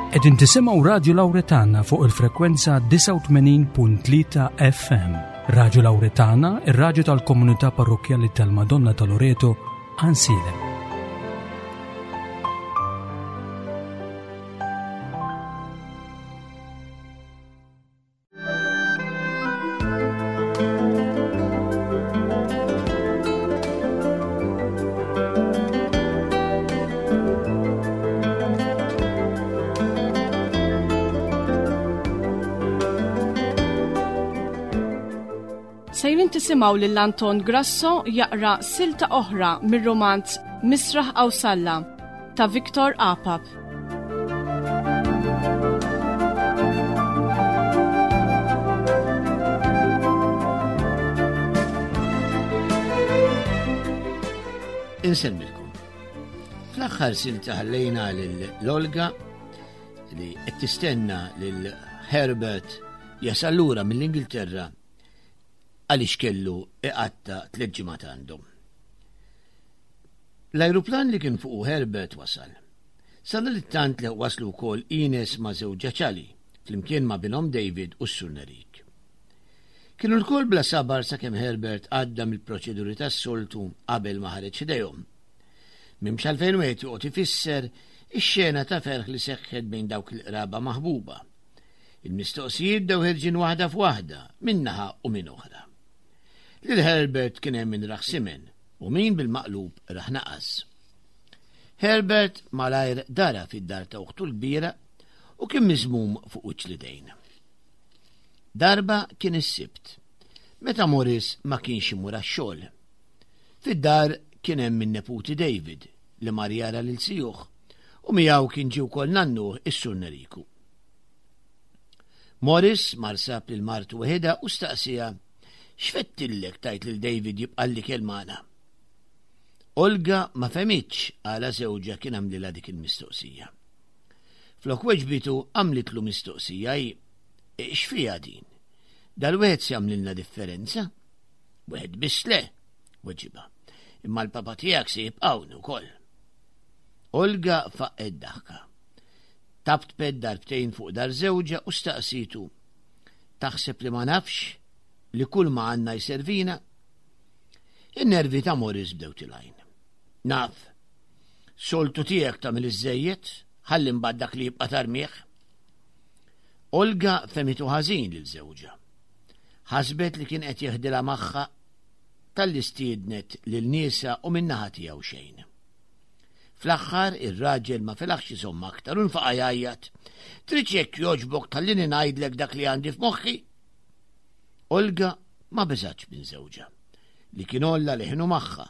Qegħdin tisimgħu Radju Lawretana fuq il-frekwenza 89.3 FM. Radju Lawretana, ir-radju tal-komunità parrokkjali tal-Madonna ta' Loreto, Ansilem. Sejrin tisimgħu lil Anton Grasso jaqra silta oħra mir-romanz Misraħ Awsalla ta' Victor Apap. Insemmilkom. Fl-aħħar silta ħallejna lil Olga li qed tistenna lil Herbert jasal lura mill-Ingilterra għaliex kellu iqatta tliet ġimgħat għandhom. L-ajruplan li kien fuqu Herbert wasal. Sadanittant li waslu wkoll Ines ma' żewġha Charlie, flimkien ma' binhom David u s-Sur Nerik. Kienu lkoll bla sabar sakemm Herbert għadda mill-proċeduri tas-soltu qabel ma ħareġ ħdejhom. M'hemmx għalfejn wieħed joqgħod ifisser ix-xena ta' ferħ li seħħet bejn dawk il-qraba maħbuba. Il-mistoqsijiet bdew ħerġin waħda f'waħda, minn naħa u minn oħra. Lil Herbert kien hemm min rah simen u min bil-maqlub rah naqas. Herbert malajr dara fid-dar ta' uħtu l-kbira u kien miżmum fuq wiċċ l-idejn. Darba kien is-Sibt, meta Morris ma kienx imur għax-xogħol. Fid-dar kien hemm in-neputi David li mar jara lil sijuh u miegħu kien ġie wkoll nannuh is-Sur Neriku. Morris mar sab lil martu weħidha u staqsiha x'fettillek tajt lil David jibqa' l-ikel magħna. Olga ma fehmitx għala żewġha kien għamlilha dik il-mistoqsija. Flok weġbitu għamlitlu mistoqsija hi, x'fiha din? Dal-wieħed se jagħmlilna differenza? Wieħed biss le, weġibha. Imma l-papa tiegħek se jibqa' hawn ukoll. Olga faqqgħet daħka. Taptpet darbtejn fuq dar żewġha u staqsitu, Taħseb li ma nafx li kull ma għandna jservina? In-nervi ta' Morris bdew tilgħin. Naf. Soltu tiegħek tagħmel iżżejjed, ħalli mbagħad dak li jibqa' tarmih. Olga fehmitu ħażin lil żewġha. Ħasbet li kien qed jeħdilha magħha talli stiednet lil niesha u min-naħa tiegħu xejn. Fl-aħħar ir-raġel ma felaħx iżomm aktar u nfaqa' jgħajjat. Tridx jekk jogħġbok tħallini ngħidlek dak li għandi f'moħħi? Olga ma beżgħetx minn żewġha, li kien għolla leħnu magħha,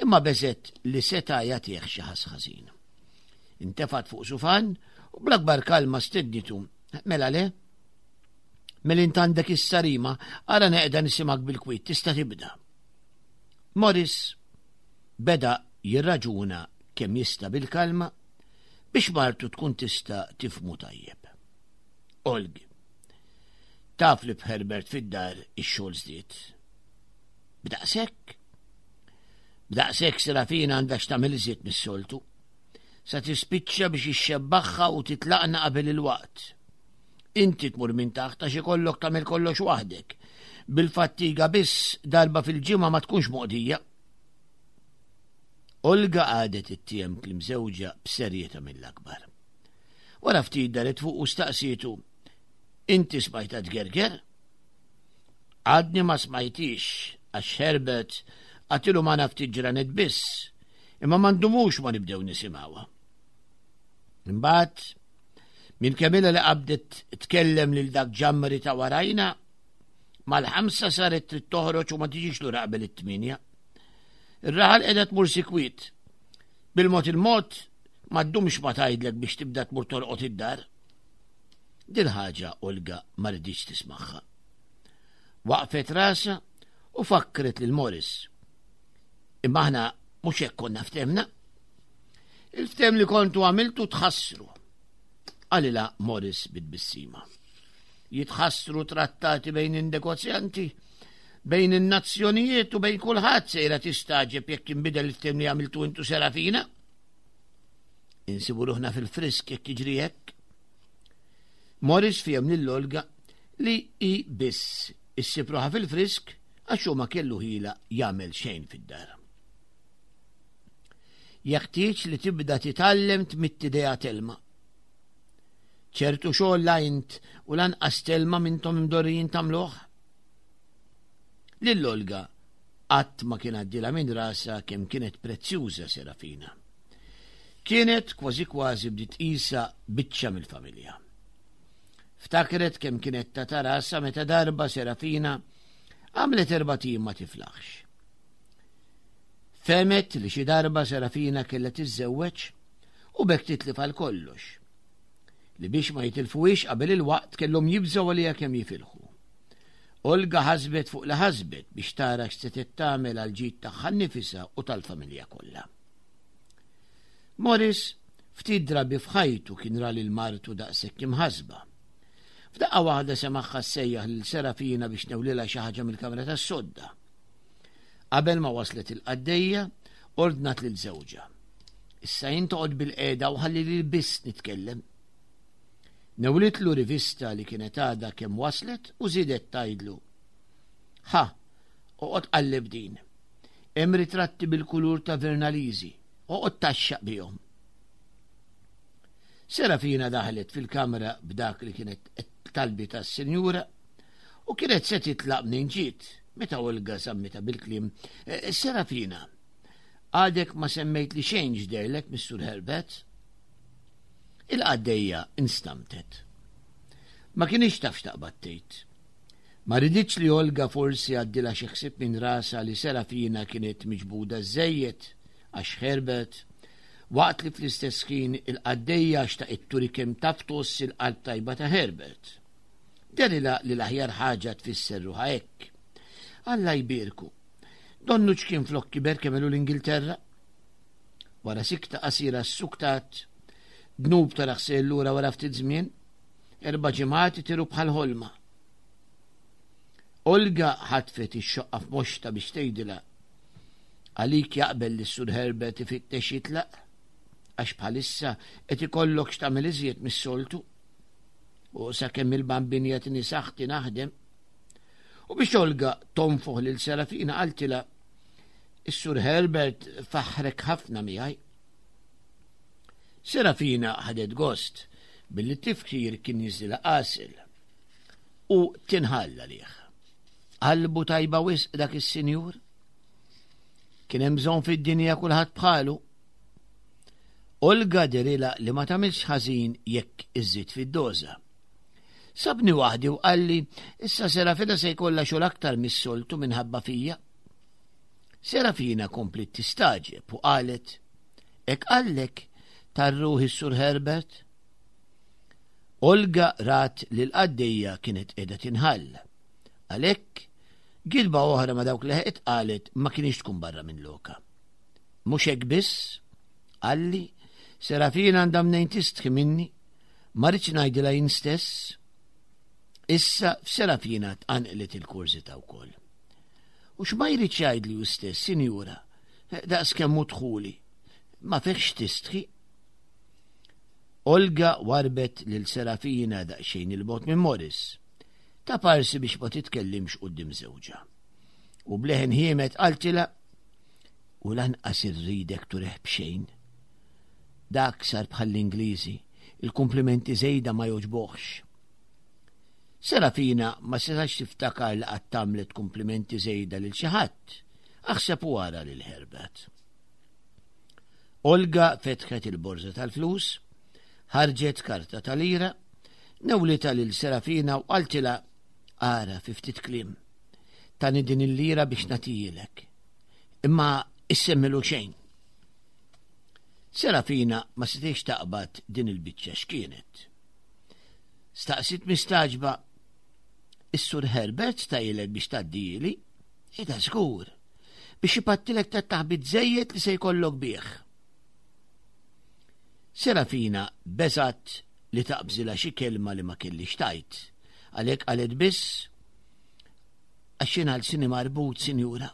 imma beżgħet li seta' jagħtih xi ħass ħażin. Intefgħet fuq sufan u bl-akbar kalma stednitu, Mela le? Mela int għandek is-sarima, ara neqda nisimgħek bil-kwiet, tista' tibda. Morris beda jirraġuna kemm jista' bil-kalma biex martu tkun tista' tifhmu tajjeb. Olg, taf li b'Herbert fid-dar ix-xogħol żdied. B'daqshekk? B'daqshekk Serafina għandha x'tagħmel iżjed mis-soltu. Sa tispiċċa biex ixxebbaħha u titlaqna qabel il-waqt. Inti tmur minn taħt għax ikollok tagħmel kollox waħdek. Bil-fattiga biss darba fil-ġimgħa ma tkunx moqdija. Olga qagħdet ittiem kliem żewġha b'serjetà mill-akbar. Wara ftit daret fuq u staqsietu, Inti smajtha tgerger? Għadni ma smajtix għax Herbert għatilu ma ftit ġranet biss, imma ma ndumux ma nibdew nisimgħuha. Imbagħad minn kemm ilha li qabdet tkellem lil dak ġammri ta' warajna, mal-ħamsa saret trid toħroġ u ma tiġix lura qabel it-tmienja. Ir-raħal qiegħda tmur sikwit. Bil-mod il-mod ma ddumx ma tgħidlek biex tibda tmur torqod id-dar. Dil-ħaġa Olga ma riditx tismagħha. Waqfet rasha u fakkret lil Morris. Imma aħna mhux hekk konna ftemna. Il-ftem li kontu għamiltu tħassru. Qalilha Morris bit-tbissima. Jitħassru trattati bejn in-negozjanti, bejn in-nazzjonijiet u bejn kulħadd sejra tistagħġeb jekk inbidel il-ftem li għamiltu intu Serafina. Insibu ruħna fil-frisk jekk jiġri hekk. Morris fiehem lil Olga li hi biss issib ruħha fil-frisk għax hu ma kellu ħila jagħmel xejn fid-dar. Jeħtieġ li tibda titgħallem tmidd idejha Telma. Ċertu xogħol la int u lanqas Telma m'intom imdorrijin tagħmluh. Lil Olga qatt ma kien għaddilha minn rasha kemm kienet prezzjuża Serafina. Kienet kważi kważi bdiet tqisha biċċa mill-familja. Ftakret kemm kienet tata rasha meta darba Serafina għamlet erbat ijiem ma tiflaħx. Fehmet li xi darba Serafina kellha tiżżewweġ u b'hekk titlif għal kollox. Li biex ma jitilfuhiex qabel il-waqt kellhom jibżgħu għaliha kemm jifilħu. Olga ħasbet fuq li ħasbet biex tara x'setgħet tagħmel għall-ġid tagħha nnifisha u tal-familja kollha. Morris ftit drabi f'ħajtu kien ra lil martu daqshekk imħassba. F'daqqa waħda semagħha ssejjaħ lil Serafina biex tnewlilha xi ħaġa mill-kamra tas-sodda. Qabel ma waslet il-qaddejja, ordnat lil żewġha. Issa jien toqgħod bil-qiegħda u ħalli lili biss nitkellem. Newlitlu rivista li kienet għadha kemm waslet u żiedet tgħidlu, Ħa, oqgħod qalleb din. Hemm ritratti bil-kulur ta' Vernalisi, oqgħod tgħaxxaq bihom. Serafina daħlet fil-kamra b'dak li kienet talbitha s-sinjura u kienet se titlaq mnejn ġiet meta Olga żammitha bil-kliem, eh, Serafina, għadek ma semmejtli xejn x'dehrlek mis-Sur Herbert? Il-qaddejja instamtet. Ma kinitx taf x'taqbad tgħid. Ma riditx li Olga forsi għaddilha xi ħsieb minn rasha li Serafina kienet miġbuda żżejjed għax Herbert, waqt li fl-istess ħin il-qaddejja xtaqet turi kemm taf tgħożż il-qalb tajba ta' Herbert. Dehrilha li l-aħjar ħaġa tfisser ruħha hekk. Alla jbierku. Donnu ċkien flok kiber kemm ilu l-Ingilterra. Wara sikta qasira ssuktat, dnub taraħ sejjer lura wara ftit żmien, erba' ġimgħat itiru bħal ħolma. Olga ħatfet ix-xoqqa f'moxtha biex tgħidilha, Għalik jaqbel li s-Sur Herbert ifittex jitlaq? Għax bħalissa qed ikollok x'tagħmel iżjed mis-soltu. U sakemm il-Bambin jagħtini saħħti naħdem. U biex Olga tonfoħ lil Serafina qaltilha, Is-Sur Herbert faħħrek ħafna miegħi. Serafina ħadet gost billi t-tifkir kien jiżdilha għasel u tinħall għalih. Qalbu tajba wisq dak is-sinjur. Kien hemm bżonn fid-dinja kulħadd bħalu. Olga derilha li ma tagħmilx ħażin jekk iżżid fid-doża. Sabni waħdi u qalli issa Serafina se jkollha xogħol aktar mis-soltu minħabba fija. Serafina kompliet tistagħġeb u qalet, Hekk qallek tar-ruħ is-Sur Herbert? Olga rat li l-qaddejja kienet qiegħda tinħall. Għalhekk, gidba oħra ma' dawk li ħeqet qalet ma kienx tkun barra minn loka. Mhux hekk biss, qalli, Serafina għandha mnejn tistħi minni, ma rridx ngħidilha jien stess. Issa f'Serafina tqanqlet il-kurżità wkoll. U x'ma jridx jgħidli hu stess, sinjura, daqs kemm hu dħuli. Ma fihx tistħi. Olga warbet lil Serafina daqsxejn 'il bogħod minn Morris, ta' parsi biex ma titkellimx quddiem żewġha. U b'leħen ħiemed qaltilha, U lanqas irridek turih b'xejn. Dak sar bħall-Ingliżi, il-kumplimenti żejda ma jogħġbuhx. Serafina ma setax tiftakar li qatt għamlet kumplimenti żejda lil xi ħadd, aħseb u ara lil Herbert. Olga fetħet il-borża tal-flus, ħarġet karta ta' lira, newlitha lil Serafina u qaltilha ara fi ftit kliem. Tani din il-lira biex nagħtijilek. Imma issemmilu xejn. Serafina ma setgħetx taqbad din il-biċċa x'kienet. Staqsiet mistagħġba, Is-Sur Herbert stajilek biex tgħaddihili? Ida żgur, biex ipattilek tat-taħbit żejjed li se jkollok bih. Serafina beżgħet li taqbżilha xi kelma li ma kellhiex tgħid, għalhekk qalet biss, Għax jien għal sini marbut, sinjura.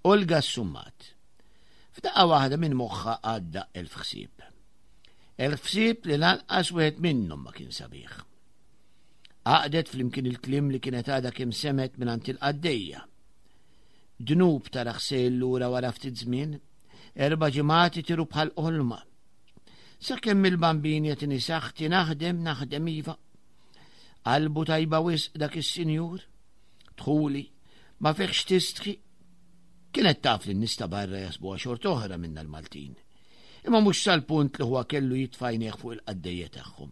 Olga ssummat. F'daqqa waħda minn moħħha għadda elf ħsieb. Il-ħsieb li lanqas wieħed minnhom ma kien sabiħ. Għaqdet flimkien il-kliem li kienet għadha kemm semgħet mingħand il-qaddejja. Dnub tara ħsejl lura wara ftit żmien, erba' ġimgħat itiru bħal qolma. Sakemm il-bambin jagħtini saħħti naħdem, naħdem iva. Qalbu tajba wisq dak is-sinjur. Dħuli, ma fiħx tistħi. Kienet taf li n-nies ta' barra jasbuha xort oħra minna l-Maltin. Imma mhux sal-punt li huwa kellu jitfajnieh fuq il-qaddejja tagħhom.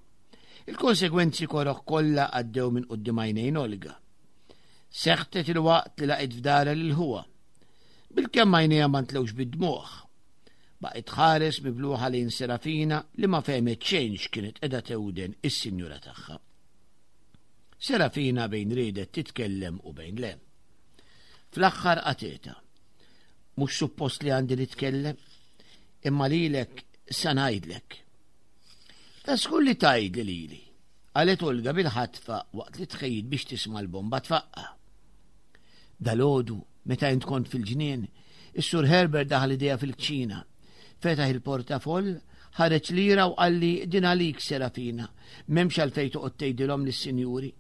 Il-konsegwenzi koroh kollha għaddew minn quddiem għajnejn Olga. Seħtet il-waqt li laqgħet f'dara lil ħuha. Bilkemm għajnejha ma ntlewx bid-dmugħ. Baqgħet tħares mibluħa lejn Serafina li ma fehmet xejn x'kienet qiegħda tewden is-sinjura tagħha. Serafina bejn riedet titkellem u bejn le. Fl-aħħar qatgħetha. Mhux suppost li għandi nitkellem, imma lilek sa ngħidlek. Ta' żgur li tgħidli lili, qalet Olga bil-ħatfa waqt li tħejjit biex tisma' l-bomba tfaqqa'. Dalgħodu, meta int kont fil-ġnien, is-Sur Herbert daħal idejha fil-kċina. Fetaħ il-portafoll, ħareġ lira u qalli din għalik Serafina, m'hemmx għalfejn toqgħod tgħidilhom lis-sinjuri.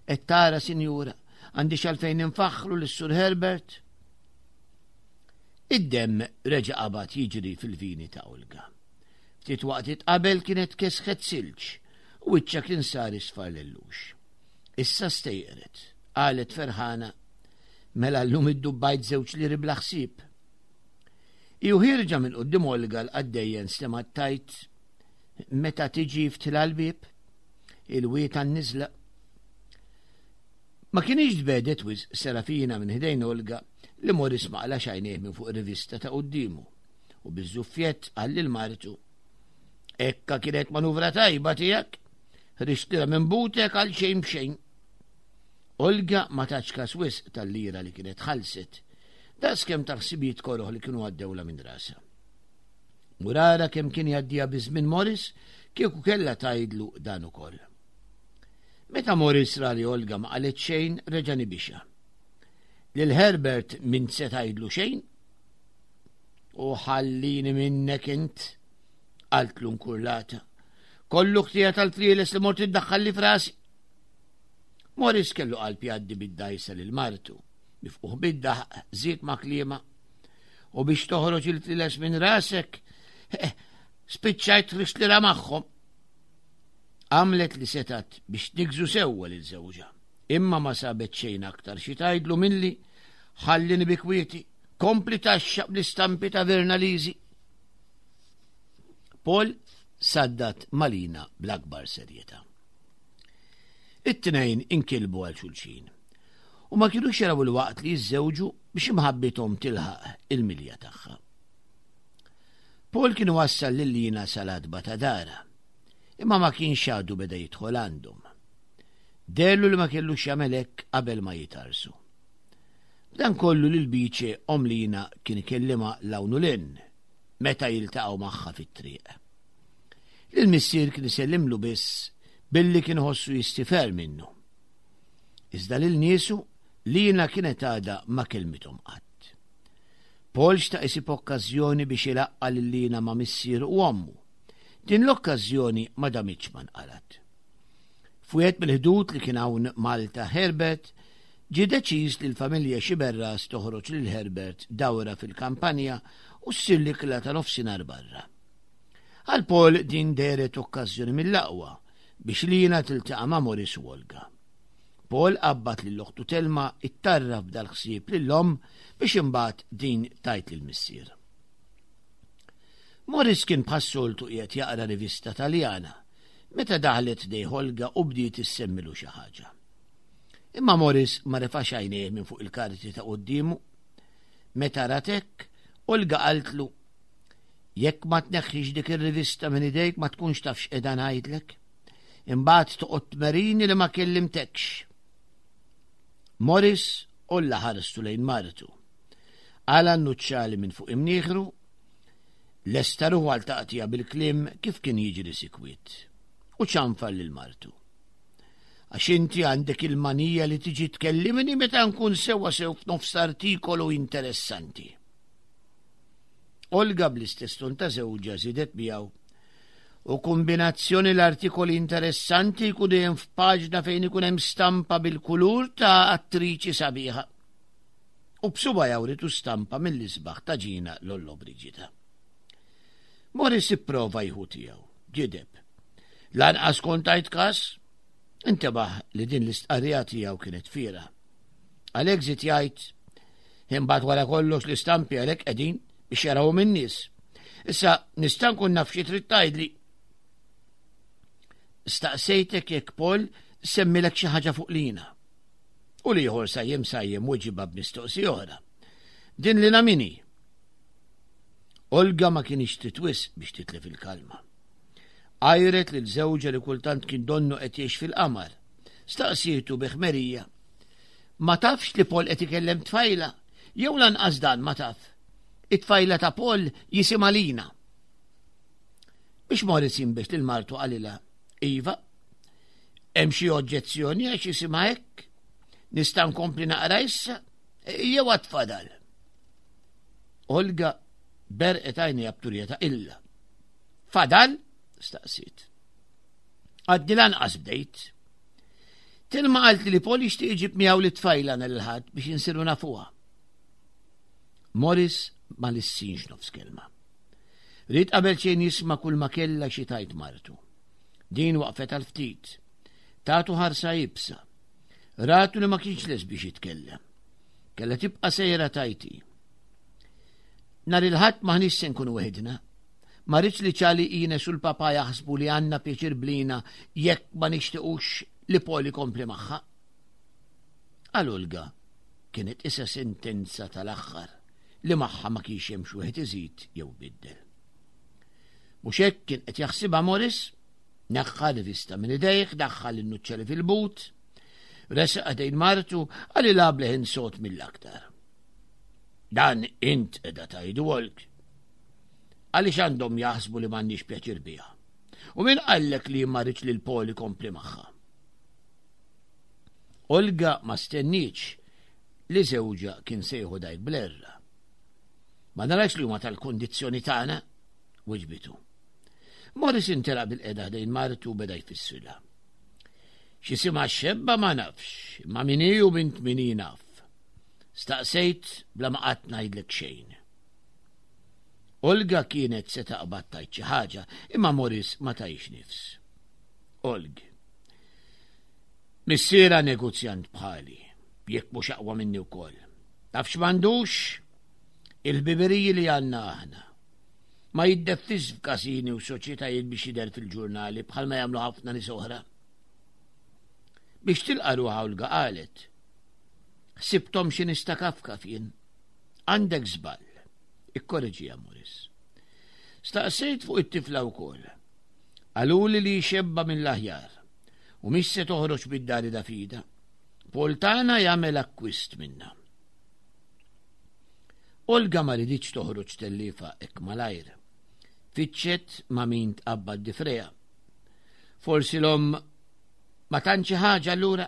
Qed tara, sinjura, għandix għalfejn infaħħru lis-Sur Herbert? Id-demm reġa' qabad jiġri fil-vini ta' Olga. Ftit waqtiet qabel kienet kesħet silġ u wiċċha kien sar isfar lellux. Issa stejqret, qalet ferħana, mela llum iddubbajt żewġ liri bla ħsieb. Hi u ħierġa minn quddiem Olga l-qaddejja nstemgħet tgħid, Meta tiġi ftħilha l-bieb, il-wied għan-niżla. Ma kinitx tbegħdet wisq Serafina minn ħdejn Olga li Morris ma qlax għajnejh minn fuq ir-rivista ta' quddiemu u biż-żuffjett qal lil martu, Ekka kienet manuvra tajba tiegħek, ħriġtilha minn butek għal xejn b'xejn. Olga ma tatx kas wisq tal-lira li kienet ħallset, daqskemm tal-ħsibijiet koroh li kienu għaddewlha minn rasha. Mur ara kemm kien jgħaddiha biż-żmien Morris kieku kellha tgħidlu dan ukoll. Meta Morris ra li Olga ma qalet xejn, reġa' nibixha. Lil Herbert m'int se tgħidlu xejn? U ħallini minnek int, qaltlu nkurlata. Kollu ħtija tal-flieles li mort iddaħħalli f'rasi. Morris kellu qalb jgħaddi bid-dgħajsa lil martu, mifquħ bid-daħq, żied ma' kliemha. U biex toħroġ il-fliles minn rasek, eh, spiċċajt ħriġtlira magħhom. Għamlet li setat biex tniggżu sewwa lil żewġha, imma ma sabet xejn aktar xi tgħidlu milli ħallini bi kwieti, kompli taxxaq bl-istampi ta' Verna Lisi. Paul saddat malina bl-akbar serjetà. It-tnejn inkilbu għal xulxin u ma kinux jaraw il-waqt li jiżżewġu biex imħabbithom tilħaq il-milja tagħha. Paul kien wassal lil Lina sal-għatba ta' dara, imma ma kienx għadu beda jidħol għandhom. Dellu li ma kellux jagħmel hekk qabel ma jitarsu. B'dan kollu lil Bice omm Lina kien ikellimha 'l hawn u 'l hinn meta jiltaqgħu magħha fit-triq. Lill-missier kien isellimlu biss billi kien iħossu jistifer minnu. Iżda lil niesu Lina kienet għadha ma kellmithom qatt. Paul xtaq isib okkażjoni biex ilaqqa' lil Lina ma' missieru u ommu. Din l-okkażjoni ma damitx ma nqalgħet. F'wieħed mill-ħdud li kien hawn Malta Herbert, ġie deċiż li l-familja Sciberras toħroġ lil Herbert dawra fil-kampanja u ssir l-ikla ta' nofsinhar barra. Għal Paul din dehret okkażjoni mill-aqwa biex Lina tiltaqa' ma' Maurice u Olga. Paul qabbad lil oħtu Telma ittarraf b'dal-ħsieb lill-omm biex imbagħad din tgħid lill-missier. Maurice kien bħas-soltu qiegħed jaqra rivista Taljana meta daħlet ħdejh Olga u bdiet issemmilu xi ħaġa. Imma Maurice ma refax għajnejh minn fuq il-karti ta' quddiemu. Meta rat hekk, Olga qaltlu, Jekk ma tneħħix dik ir-rivista minn idejk ma tkunx taf x'qiegħda ngħidlek. Imbagħad toqgħod tmerini li ma kellimtekx. Morris olla ħarstu lejn martu. Qala n-nuċċali minn fuq imnieħru, lesta ruħu għal taqtija bil-kliem kif kien jiġri sikwit. U ċanfar lil martu. Għax inti għandek il-manija li tiġi tkellimni meta nkun sewwa sew f'nofs artikolu interessanti. Olga bl-istess ton ta' żewġha żiedet miegħu. U kombinazzjoni l-artikoli interessanti jkun dejjem f'paġna fejn ikun hemm stampa bil-kulur ta' attriċi sabiħa. U b'suba jawritu stampa mill-isbaħ ta' Ġina Lollobrigida. Morris ipprova jħu tiegħu, gideb. Lanqas kont tajt kas, intebaħ li din l-istqarrija tiegħu kienet fiera. Għalhekk żied jgħid, imbagħad wara kollox l-istampi għalhekk qegħdin biex jarawhom in-nies. Issa nista' nkun naf xi trid tgħidli. Staqsejtek jekk Paul semmilek xi ħaġa fuq lina. U l-ieħor sajjem sajjem weġibha b'mistoqsija oħra. Din lina min hi? Olga ma kienx trid wisq biex titlef il-kalma. Għajret lil żewġha li kultant kien donnu qed jgħix fil-qamar. Staqsietu bi ħmerija. Ma tafx li Paul qed ikellem tfajla, jew lanqas dan ma taf. It-tfajla ta' Paul jisimha Lina. Biex Moritz jinbex lil martu qalilha, Iva, hemm xi oġġezzjoni għax jisimha hekk? Nista' nkompli naqra issa? Jew għad fadal? Olga berqet għajnejha b'turija ta' illa. Fadal? staqsiet. Għadni lanqas bdejt. Tilma qalt li Paul jixtieq iġib miegħu li tfajla nhar il-Ħadd biex insiru nafuha. Morris ma lissinx nofs kelma. Ried qabel xejn jisma' kull ma kellha xi tajt martu. Din waqfet għal ftit. Tatu ħarsa ibsa. Ratu li ma kienx les biex jitkellem. Kella tibqa' sejra tajti. Nhar il-Ħadd m'aħniex se nkunu weħidna. Ma rridx li Charlie Ines u l-papà jaħsbu li għandna pjaċir blina jekk ma nixtiqux li Paul ikompli magħha. Għal Olga kienet isa sentenza tal-aħħar li magħha ma kienx hemm x'wieħed iżid jew ibiddel. Mhux hekk kien qed jaħsibha Morris? Neħħa rivista minn idejh, daħħal in-nuċċali fil-but, resaq ħdejn martu qalilha b'leħen sod mill-aktar. Dan int qiegħda tgħidu Olg. Għaliex għandhom jaħsbu li m'għandniex pjaċir biha? U min qallek li ma rridx li l-Paul ikompli magħha? Olga ma stennietx li żewġha kien se jieħu dajk bl-erra. Ma narax li huma tal-kundizzjoni tagħna, wiġbitu. Morris intelaq bil-qeda ħdejn martu u beda jfissrilha. X'isimha x-xebba ma nafx, imma min hi u bint min hi naf. Staqsejt bla ma qatt ngħidlek xejn. Olga kienet se taqbad tgħid xi ħaġa, imma Morris ma tajx nifs. Olg. Missiera negozjant bħali, jekk mhux aqwa minni wkoll. Taf x'm'għandux? Il-ħbiberiji li għandna aħna. Ma jiddeffis f'kasini u soċjetajiet biex jidher fil-ġurnali bħalma jagħmlu ħafna nies oħra. Biex tilqa' ruħha Olga qalet, Ħsibthom xi nies ta' kafkaf jien. Għandek żball. Ikkoreġiha Morris. Staqsejt fuq it-tifla wkoll. Qaluli li xebba mill-aħjar u mhix se toħroġ mid-dar ida f'ida. Paul tagħna jagħmel akkwist minnha. Olga ma riditx toħroġ telliefa hekk malajr. Fittxet ma' min tqabbad difreha. Forsi l-omm ma tantx ħaġa allura?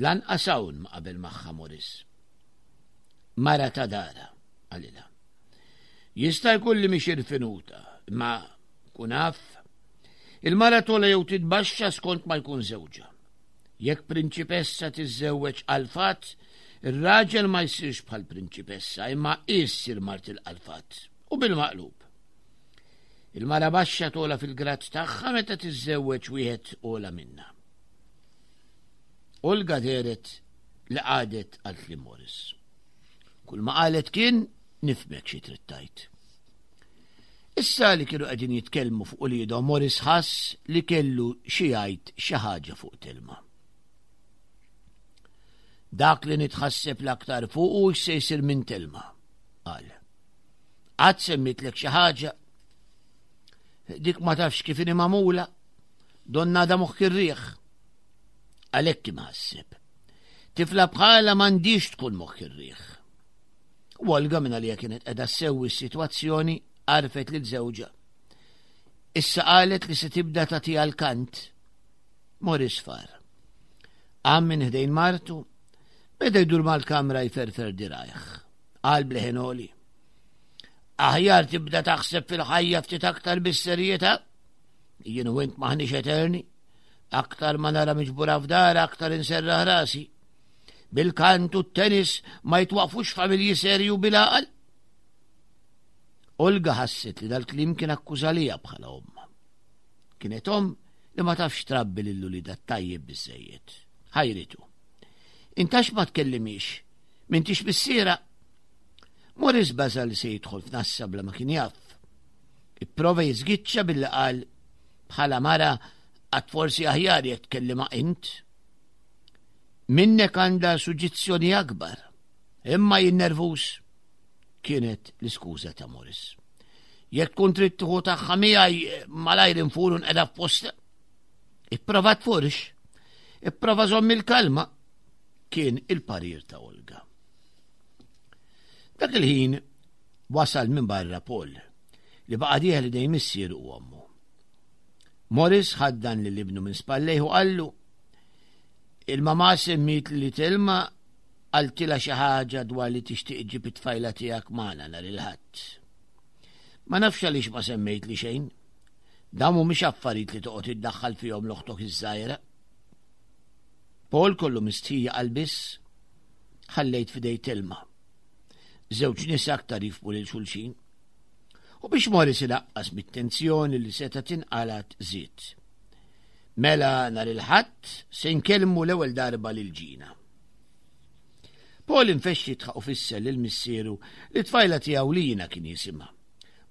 Lanqas hawn ma qabel magħha Morris. Mara ta' dara, qalilha. Jista' jkun li mhix irfinuta, imma kun af. Il-mara tola jew titbaxxa skont ma jkun żewġha. Jekk prinċipessa tiżżewweġ qalfat, ir-raġel ma jsirx bħal prinċipessa imma hi ssir mart il-qalfat, u bil-maqlub. Il-mara baxxa togħla fil-grad tagħha meta tiżżewweġ wieħed ogħla minnha. Olga dehret li qagħdet għal kliem Morris. Kull ma qalet kien nifhmek xi trid tgħid. Issa li kienu qegħdin jitkellmu fuq uliedhom Morris ħass li kellu xi jgħid xi ħaġa fuq Telma. Dak li nitħasseb l-aktar fuq u x'se jsir minn Telma, qal. Qatt semmitlek xi ħaġa? Dik ma tafx kif inhi magħmula, donna għadha moħħ ir-riħ. Għalhekk imħasseb. Tifla bħala m'għandix tkun moħħ ir-riħ. U Olga minn għalija kienet qiegħda ssewwi s-sitwazzjoni għarfet lil żewġha. Issa qalet li se tibda tagħtiha l-kant. Morris far. Qam minn ħdejn martu, beda jdur mal-kamra jferfer dirajh. Qal bleħen għoli. Aħjar tibda taħseb fil-ħajja ftit aktar bis-serjetà. Jien u int maħniex eterni. Aktar ma nara miġbura f'dar, aktar inserraħ rasi. Bil-kant u t-tennis ma jitwaqfux familji serju bil-għaqal. Olga ħasset li dal-klim kien akkużalija bħala omma. Kienet om li ma tafx trabbi lil uliedha tajjeb biżejjed. Ħajritu. Intax ma tkellimix, m'intix missiera. Morris baża li se jidħol f'nassa bla ma kien jaf. Ipprova jiżgiċċa billi qal bħala mara għad forsi aħjar jekk tkellima int. Minnek għandha suġizzjoni akbar, imma jien nervuż kienet l-iskuża ta' Morris. Jekk tkun trid tieħu tagħha miegħi malajr infur u nqeda f'posta. Ipprova tfurx, ipprova żomm il-kalma, kien il-parir ta' Olga. Dak il-ħin wasal minn barra Paul li baqa' dieħel idejn missieru u ommu. Morris ħaddan lil ibnu minn spallejh u qallu il-mama semmiet li Telma qaltilha xi ħaġa dwar li tixtieq iġġib it-tfajla tiegħek magħna nhar il-Ħadd. Ma nafx għaliex ma semmejtli xejn. Dawn mhumiex affarijiet li toqgħod iddaħħal fihom l-oħtok iż-żgħira. Paul kollu mistħija qal biss, ħallejt f'idej Telma. Żewġ nisa aktar jifhmu lil xulxin. U biex Morris inaqqas mit-tensjoni li seta' tinqalat żied. Mela nhar il-Ħadd se nkellmu l-ewwel darba lil Ġina. Paul infexx jidħaq u fisser lil missieru li tfajla tiegħu Lina kien jisimha.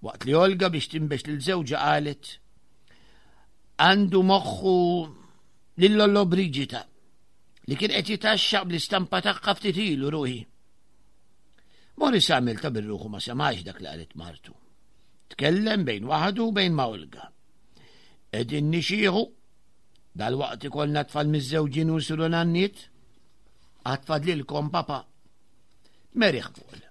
Waqt li Olga biex tinbex lil żewġha qalet għandu moħħu lil Lollo Brigida li kien qed jitaxxaq bl-istampa tagħha ftit ilu ruħi. Morris għamel ta' birruħu ma semax dak li qalet martu. Tkellem bejn waħdu u bejn ma' Olga. Qegħdin nixieħu, dal-waqt ikollna tfal miżżewġin u nsiru nanniet, għad fadlilkom papa. Meriħ Paul.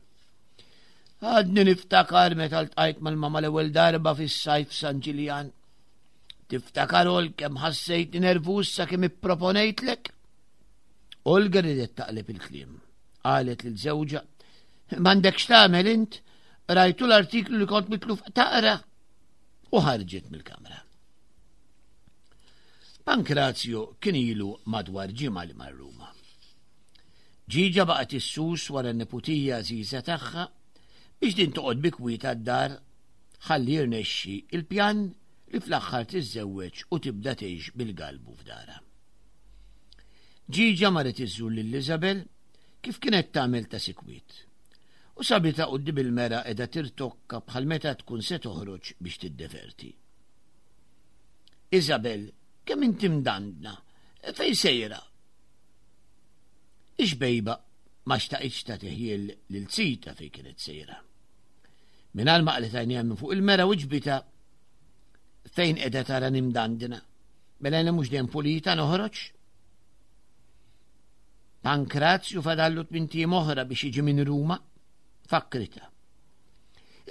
Għadni niftakar meta ltqajt mal-mama l-ewwel darba fis-sajf San Ġiljan. Tiftakar ol kemm ħassejtni nervuż sakemm ipproponejtlek? Olga ridet taqleb il-kliem. Qalet lil żewġha, "M'għandekx tagħmel int, rajtu l-artiklu li kont mitluf taqra." U ħarġet mill-kamra. Pankrazio kien ilu madwar ġimgħa li mar Ruma. Ġiġa baqgħet issus wara n-neputija għażiża tagħha biex din toqgħod bi kwieta d-dar ħalli jirnexxi il-pjan li fl-aħħar tiżżewweġ u tibda tgħix bil-galbu f'darha. Ġiġa marret iżżur lil Isabel kif kienet tagħmel ta' sikwit. U sabitha quddiem il-mera qiegħda tirtokka bħal meta tkun se toħroġ biex tiddeverti. Isabel, kemm inti mdandna, fejn sejra? Ix-xbejba ma xtaqitx tagħti ħjiel lil Zita fejn kienet sejra. Mingħajr ma qlet għajnejha minn fuq il-mera u ġbita fejn qiegħda tara nimdandna. Mela jiena mhux dejjem pulita noħroġ. Pankrazju fadallu tmintiem oħra biex jiġi minn Ruma, fakkrita.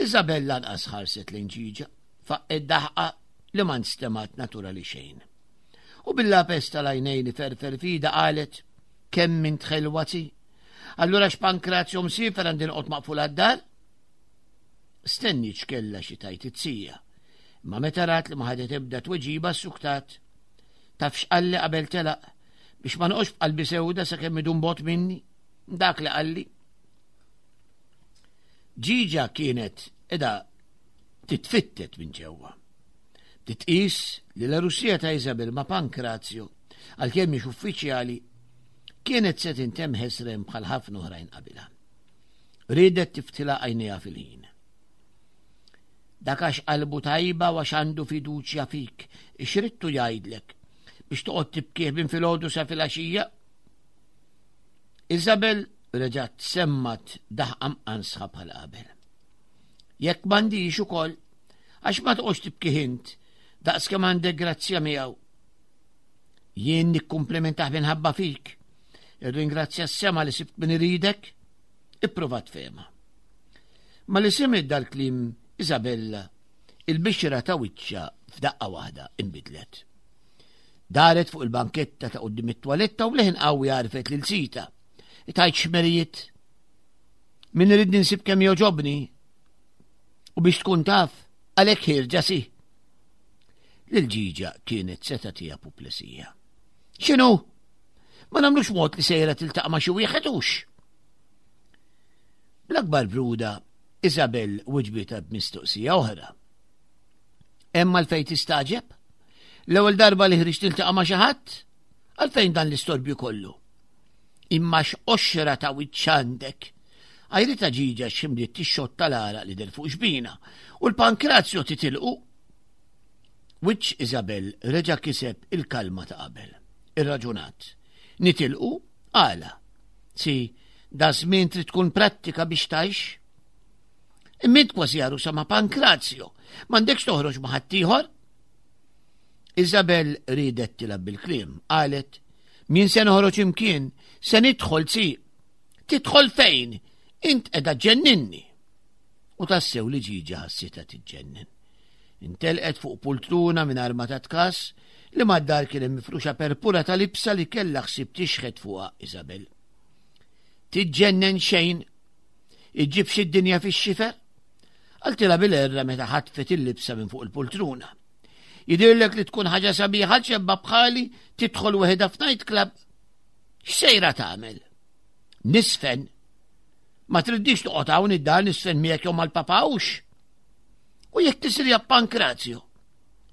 Isabella lanqas ħarset lejn ġiġa, faqqet daħqa li ma nstemat naturali xejn. U bil-lapes tal-għajnejn iferfer fida qalet, kemm int ħelwa zi. Allura x'Pankrazju msiefer għandi noqgħod maqful għad-dar? Stenni x'kellha xi tajt it-sija. Imma meta rat li ma ħadet ebda tweġiba ssuktat. Taf x'qalli qabel telaq biex ma noqgħodx b'qalbi sewda sakemm idum bot minni. Dak li qalli. Ġiġa kienet edha titfittet minn ġewwa. Titqis li l-Russija ta' Isabel ma' Pankrazio, għalkemm mhix uffiċjali, kienet se tintemm ħesrem bħal ħafna oħrajn qabilha. Riedet tiftilha għajnejha fil-ħin. Dak għax qalbu tajba u għax għandu fiduċja fik, ixrittu jgħidlek biex toqgħod tibkih minn filgħodu sa filgħaxija. Isabel reġgħet semmat daħqa mqansħa bħal qabel. Jekk m'għandix ukoll, għax ma toqgħodx tibkih int, daqs kemm għandek grazzja miegħu. Jien nikkumplimentah minħabba fik. Irringrazzja s-sema li sibt min iridek, ipprova tfehma. Ma li semgħet dal-kliem Isabella, il-bixra ta' wiċċha f'daqqa waħda inbidlet. Daret fuq il-banketta ta' quddiem it-twaletta u bleħen qawwi għarfet lil sita. Itajt xmerijiet. Min irid ninsib kemm joġobni. U biex tkun taf, għalhekk ħierġa si. Lil Ġiġa kienet se tagħtiha puplesija. X'inhu? Ma nagħmlux mod li sejra tiltaqa' ma' xi wieħed hux. Bl-akbar bruda, Isabel wiġbitha b'mistoqsija oħra. Hemm għalfejn tistaġeb? L-ewwel darba li ħriġt tiltaqa' ma' xi ħadd? Għalfejn dan l-istorbju kollu? Imma x'qoxra ta' wiċċ għandek! Għajritha Ġiġa x'imdiet tixxotta l-għaraq li deher fuq xbina u l-pankrazio titilqu. Wiċċ Isabel reġa' kiseb il-kalma ta' qabel. Irraġunat. Nitilqu? Għala? Si, da żmien trid tkun prattika biex tgħix. Imma int kważi għarusa ma' Pankrazio, m'għandekx toħroġ ma' ħaddieħor? Isabel riedet tilgħab bil-kliem, qalet, Min se noħroġ imkien, se nidħol si. Tidħol fejn? Int qiegħda ġenninni. U tassew li ġiġa ħassitha tiġġennen. Intelqet fuq pultruna mingħajr ma tat kas li mad-dar kien hemm mifruxa perpura ta' libsa li kellha ħsieb tixħet fuqha Isabel. Tiġġennen xejn? Iġġib xi dinja fix-xifer? Qaltilha bil-erra meta ħatfet il-libsa minn fuq il-pultruna. Jidhirlek li tkun ħaġa sabiħa ċebba bħali tidħol weħida f'night club. X'sejra tagħmel? Nisfen. Ma triddix toqgħod hawn id-dar nisfen miegħek jew mal-papa hux. U jekk tisrija Pankrazio?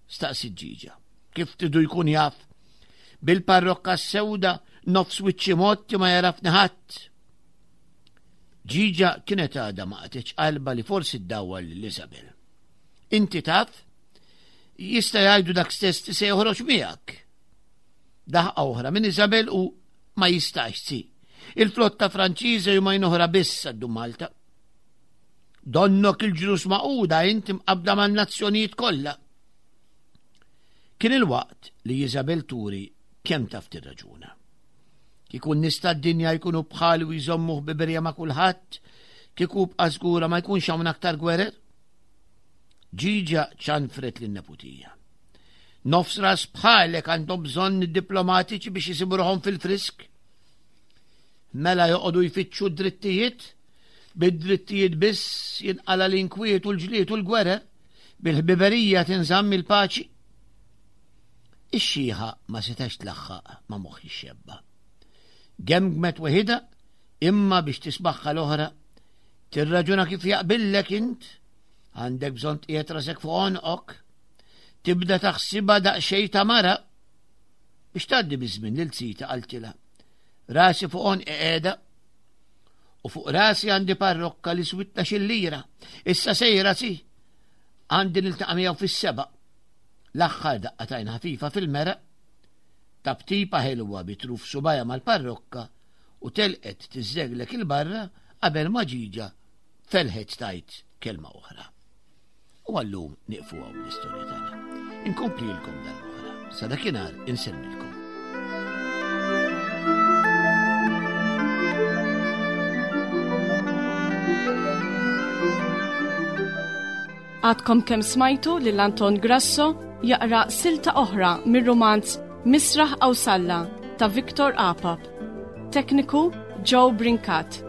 Staqsi ġiġa. Kif tridu jkun jaf? Bil-parrokka sewda nofs wiċċi motti ma jarafni ħadd. Ġiġa kienet għadha ma qatgħetx qalba li forsi ddawwar lil Isabel. Inti taf? Jista' jgħidu dak stess li se joħroġ miegħek. Daħqa oħra minn Isabel u ma jistax si. Il-flotta Franċiża jumajn oħra biss għaddu Malta. Donnok il-ġnus maquda inti mqabda man-nazzjonijiet kollha. Kien il-waqt li Isabel turi kemm taf tirraġuna. Kieku n-nies tad-dinja jkunu bħali u jżommu ħbiberija ma' kulħadd, kieku bqa' żgura ma jkunx hawn aktar gwerer. Ġiġa ċanfret lin-neputija. Nofs ras bħalek għandhom bżonn id-diplomatiċi biex jisibu ruħhom fil-frisk. Mela joqogħdu jfittxu d-drittijiet, bid-drittijiet biss jinqala l-inkwiet u l-ġlied u l-gwerer, bil-ħbiberija tinżamm il-paċi. Ix-xiħa ma setax tlaħħaq ma' moħħ ix-xebba. Gemgmet weħidha imma biex tismaħħa l-oħra tirraġuna kif jaqbillek int, għandek bżonn tqiegħed rasek fuq għonqok, tibda taħsibha daqsxejn ta' mara biex tgħaddi biż-żmien lil zita qaltilha. Rasi fuq għonqi qiegħda u fuq rasi għandi parrokka li switna xillira. Issa sejra si għandi niltaqa' miegħu fis-seba'. L-aħħar daqqa tajn ħafifa fil-meraq, taptipa ħelwa bi truf subajha mal-parrokka u telqet tiżżeglek 'il barra qabel ma Ġiġa felħet tgħid kelma oħra. U għallum nieqfu hawn l-istorja tagħna. Inkomplilkom darb'oħra. Sa dakinhar insellmilkom. Għadkom kemm smajtu lil Anton Grasso jaqra silta oħra mir-rumanz Misraħ Awsalla ta' Victor Apap. Tekniku Joe Brincat.